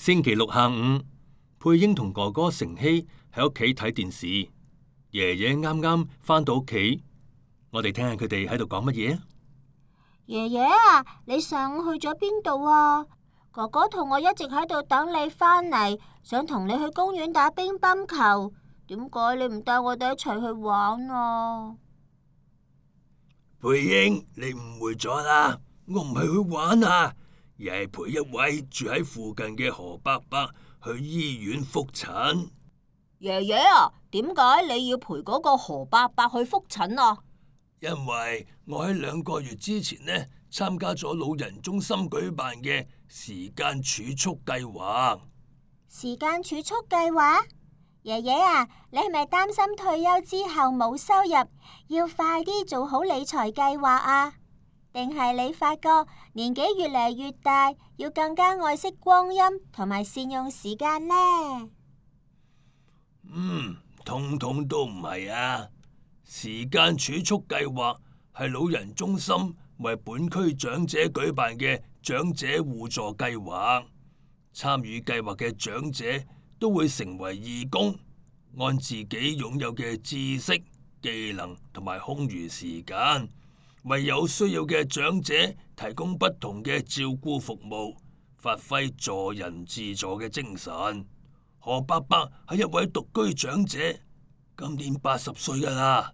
星期六下午，佩英同哥哥成希喺屋企睇電視，爺爺啱啱返到屋企，我哋聽下佢哋喺度講乜嘢啊？爺爺啊，你上午去咗邊度啊？哥哥同我一直喺度等你返嚟，想同你去公園打乒乓球，點解你唔帶我哋一齊去玩啊？佩英，你誤會咗啦，我唔係去玩啊，而係陪一位住喺附近嘅何伯伯去醫院復診。爺爺啊，點解你要陪嗰個何伯伯去復診啊？因為我喺2個月之前呢，參加咗老人中心舉辦嘅時間儲蓄計劃。時間儲蓄計劃？爺爺啊，你係咪擔心退休之後冇收入，要快啲做好理財計劃啊？定係你發覺年紀越嚟越大，要更加愛惜光陰同埋善用時間呢？通通都唔係啊！時間儲蓄計劃係老人中心為本區長者舉辦嘅長者互助計劃，參與計劃嘅長者都會成為義工，按自己擁有嘅知識、技能同埋空餘時間，為有需要嘅長者提供不同嘅照顧服務，發揮助人自助嘅精神。何伯伯係一位獨居長者，今年80歲㗎喇。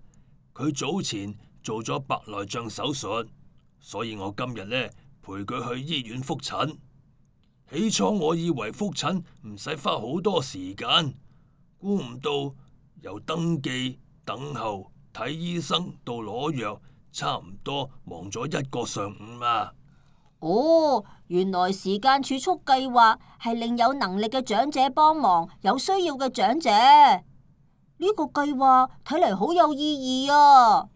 佢早前做咗白內障手術，所以我今日呢陪佢去醫院復診。起初我以為復診唔使花好多時間，估唔到由登記、等候、睇醫生到攞藥，差唔多忙咗1個上午啊！哦，原來時間儲蓄計劃係令有能力嘅長者幫忙有需要嘅長者。呢個計劃睇嚟好有意義啊！